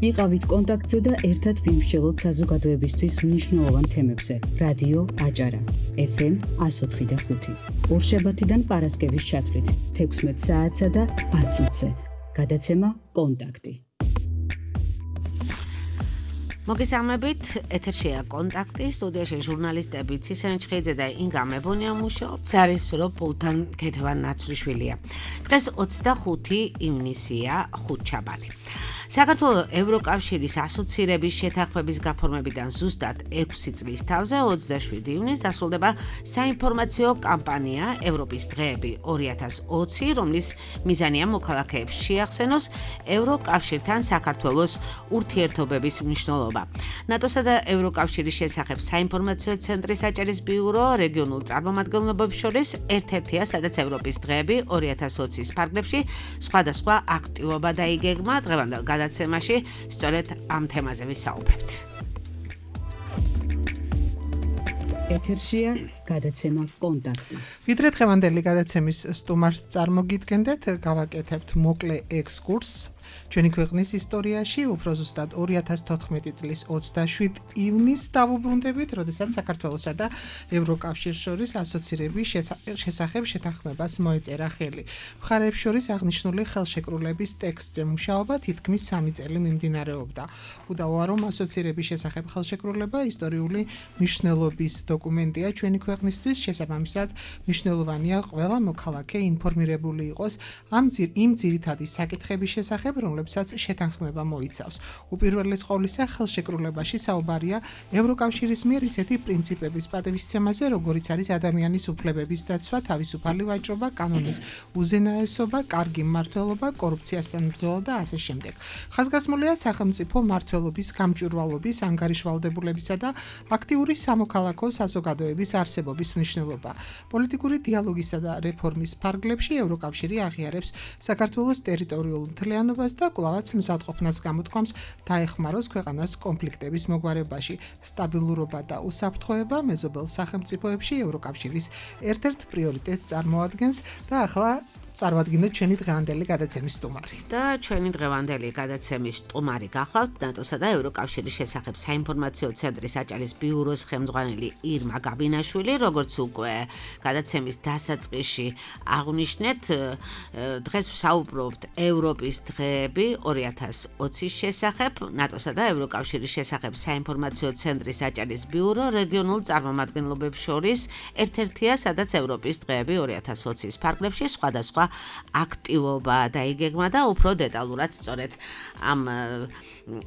იყავით კონტაქტზე და ერთად ვიმსჯელოთ საზოგადოებისთვის მნიშვნელოვან თემებზე. რადიო აჭარა, FM 104.5. ორშაბათიდან პარასკევის ჩათვლით 16 საათსა და 10 წუთზე. გადაცემა კონტაქტი. მოგესალმებით, ეთერშია კონტაქტი, სტუდიაში ჟურნალისტები ცისენ ჩხეიძე და ინგა მებონია მუშაობს, არის როპულთან ქეთევან ნაცვლიშვილია. დღეს 25 ივნისია, ხუთშაბათი. საქართველოს ევროკავშირის ასოცირების შეთანხმების გაფორმებიდან ზუსტად 6 წლის თავზე 27 ივნისს დასრულდება საინფორმაციო კამპანია ევროპის დღეები 2020, რომლის მიზანია მოქალაქეებს შეახსენოს ევროკავშირთან საქართველოს ურთიერთობების მნიშვნელობა. ნატოსა და ევროკავშირის შესახებ საინფორმაციო ცენტრის აჭარის ბიურო რეგიონულ წარმომადგენლობებს შორის ერთ-ერთია, სადაც ევროპის დღეები 2020-ის ფარგლებში სხვადასხვა აქტივობა დაიგეგმა. დღევანდელ გადაცემაში სწორედ ამ თემაზე ვისაუბრებთ. ეთერშია გადაცემა კონტაქტი. ვიდრე დღევანდელი გადაცემის სტუმარს წარმოგიდგენდეთ, გავაკეთებთ მოკლე ექსკურსს ჩვენი ქვეყნის ისტორიაში, უფრო ზუსტად 2014 წლის 27 ივნისს დავუბრუნდებით, როდესაც საქართველოსა და ევროკავშირს შორის ასოცირების შესახებ შეთანხმებას მოეწერა ხელი. მხარეებს შორის აღნიშნული ხელშეკრულების ტექსტზე მუშაობა თითქმის 3 წელი მიმდინარეობდა. უდავოა, რომ ასოცირების შესახებ ხელშეკრულება ისტორიული მნიშვნელობის დოკუმენტია ჩვენი ქვეყნისთვის, შესაბამისად მნიშვნელოვანია ყველა მოქალაქე ინფორმირებული იყოს იმ ძირითადი საკითხების შესახებ, რომლებსაც შეთანხმება მოიცავს. უპირველეს ყოვლისა, ხელშეკრულებაში საუბარია ევროკავშირის მიერ ისეთი პრინციპების პატივისცემაზე, როგორიც არის ადამიანის უფლებების დაცვა, თავისუფალი ვაჭრობა, კანონის უზენაესობა, კარგი მმართველობა, კორუფციასთან ბრძოლა და ასე შემდეგ. ხაზგასმულია სახელმწიფო მმართველობის, გამჭვირვალობის, ანგარიშვალდებულებისა და აქტიური სამოქალაქო საზოგადოების არსებობის მნიშვნელობა. პოლიტიკური დიალოგისა და რეფორმის ფარგლებში ევროკავშირი აღიარებს საქართველოს ტერიტორიულ მთლიანობას და კვლავაც მზადყოფნას გამოთქვამს დაეხმაროს ქვეყანას კონფლიქტების მოგვარებაში. სტაბილურობა და უსაფრთხოება მეზობელ სახელმწიფოებში ევროკავშირის ერთ-ერთ პრიორიტეტს წარმოადგენს და ახლა წარვადგინოთ ჩვენი დღევანდელი გადაცემის სტუმარი. და ჩვენი დღევანდელი გადაცემის სტუმარი გახლავთ ნატოსა და ევროკავშირის შესახებ საინფორმაციო ცენტრის აჭარის ბიუროს ხელმძღვანელი ირმა გაბინაშვილი, როგორც უკვე გადაცემის დასაწყისში აღვნიშნეთ, დღეს ვსაუბრობთ ევროპის დღეები 2020-ის შესახებ, ნატოსა და ევროკავშირის შესახებ საინფორმაციო ცენტრის აჭარის ბიურო რეგიონულ წარმომადგენლობებს შორის ერთ-ერთია, სადაც ევროპის დღეები 2020-ის ფარგლებში სხვადასხვა აქტივობა დაიგეგმა და უფრო დეტალურად სწორედ ამ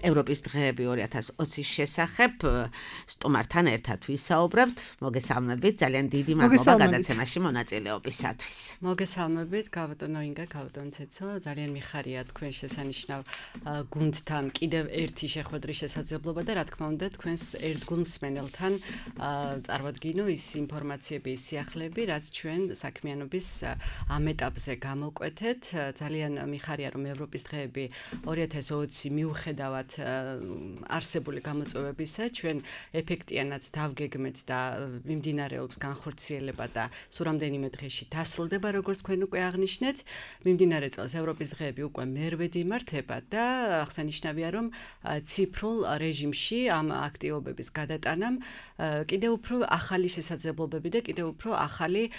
ევროპის დღეები 2020-ის შესახებ სტუმართან ერთად ვისაუბრებთ. მოგესალმებით, ძალიან დიდი მადლობა გადაცემაში მონაწილეობისათვის. მოგესალმებით, გავატონო ინგა, გავატონო ცეცო, ძალიან მიხარია თქვენ შესანიშნავ გუნდთან კიდევ ერთი შეხვედრის შესაძლებლობა და რა თქმა უნდა თქვენს ერთგულ მსმენელთან წარვადგინო ის ინფორმაციები, ის სიახლეები, რაც ჩვენ საქმიანობის ამ ეტაპზე გამოკვეთეთ. ძალიან მიხარია, რომ ევროპის დღეები 2020 მიუხედავად არსებული გამოწვევებისა, ჩვენ ეფექტიანად დავგეგმეთ და მიმდინარეობს განხორციელება და სულ რამდენიმე დღეში დასრულდება, როგორც თქვენ უკვე აღნიშნეთ. მიმდინარე წელს ევროპის დღეები უკვე მერვედი იმართება და აღსანიშნავია, რომ ციფრულ რეჟიმში ამ აქტივობების გადატანამ კიდევ უფრო ახალი შესაძლებლობები და კიდევ უფრო ახალი,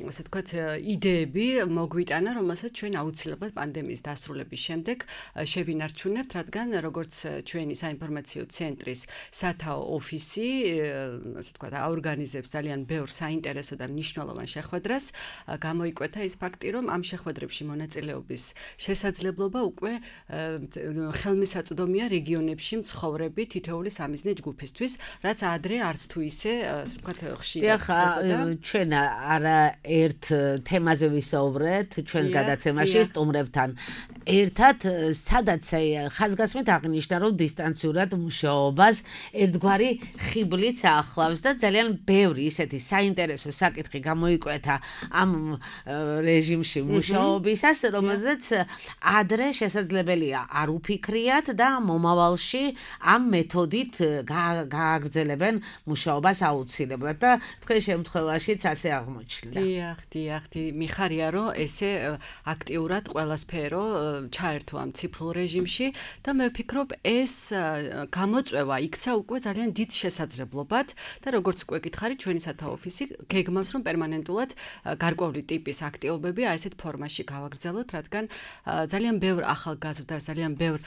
ასე ვთქვათ, იდეები მოგვიტანა, რომელსაც ჩვენ აუცილებლად პანდემიის დასრულების შემდეგ შევინარჩუნებთ, რადგან როგორც ჩვენი საინფორმაციო ცენტრის სათაო ოფისი, ასე ვთქვათ, აორგანიზებს ძალიან ბევრ საინტერესო და მნიშვნელოვან შეხვედრას, გამოიკვეთა ის ფაქტი, რომ ამ შეხვედრებში მონაწილეობის შესაძლებლობა უკვე ხელმისაწვდომია რეგიონებში მცხოვრები თითოეული სამიზნე ჯგუფისთვის, რაც ადრე არც თუ ისე, ასე ვთქვათ, ხშირად ხდებოდა. ჩვენ არა ერთ თემაზე ვისაუბრეთ ჩვენს გადაცემაში სტუმრებთან ერთად, სადაც ხაზგასმით აღნიშნა, რომ დისტანციურად მუშაობას ერთგვარი ხიბლიც ახლავს და ძალიან ბევრი ისეთი საინტერესო საკითხი გამოიკვეთა ამ რეჟიმში მუშაობისას, რომელზეც ადრე შესაძლებელია არ უფიქრიათ და მომავალში ამ მეთოდით გააგრძელებენ მუშაობას აუცილებლად და თქვენ შემთხვევაშიც ასე აღმოჩნდა. დიახ, მიხარია, რომ ესე აქტიურად ყველა სფერო ჩაერთო ამ ციფრულ რეჟიმში და მე ვფიქრობ ეს გამოწვევა იქცა უკვე ძალიან დიდ შესაძლებლობად და როგორც უკვე გითხარით ჩვენი სათა ოფისი გეგმავს რომ პერმანენტულად გარკვეული ტიპის აქტივობები აი ესეთ ფორმაში გავაგრძელოთ, რადგან ძალიან ბევრ ახალგაზრდას, ძალიან ბევრ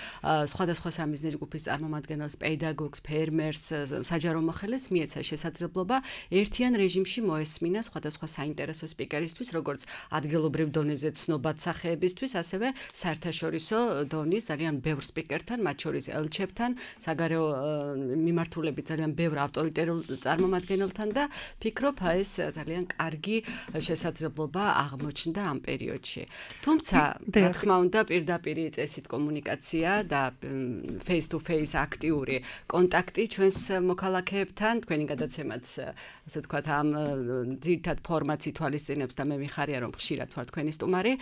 სხვადასხვა სამიზნე ჯგუფის წარმომადგენელს, პედაგოგს, ფერმერს, საჯარო მოხელეს მიეცა შესაძლებლობა ერთიან რეჟიმში მოესმინა სხვადასხვა საინტერესო სპიკერისთვის, როგორც ადგილობრივ დონეზე ცნობად სახეებისთვის, ასევე საერთაშორისო დონის ძალიან ბევრ სპიკერთან, მათ შორის ელჩებთან, საგარეო მიმართულებით ძალიან ბევრ ავტორიტარულ წარმომადგენელთან და ფიქრობ ეს ძალიან კარგი შესაძლებლობა აღმოჩნდა ამ პერიოდში. თუმცა, რა თქმა უნდა, პირდაპირი წესით კომუნიკაცია და face to face აქტიური კონტაქტი ჩვენს მოქალაქეებთან, თქვენი გადაცემაც, ასე ვთქვათ, ამ ძირითად ფორმატს ითვალისწინებს და მე მიხარია რომ ხშირად ვარ თქვენი სტუმარი.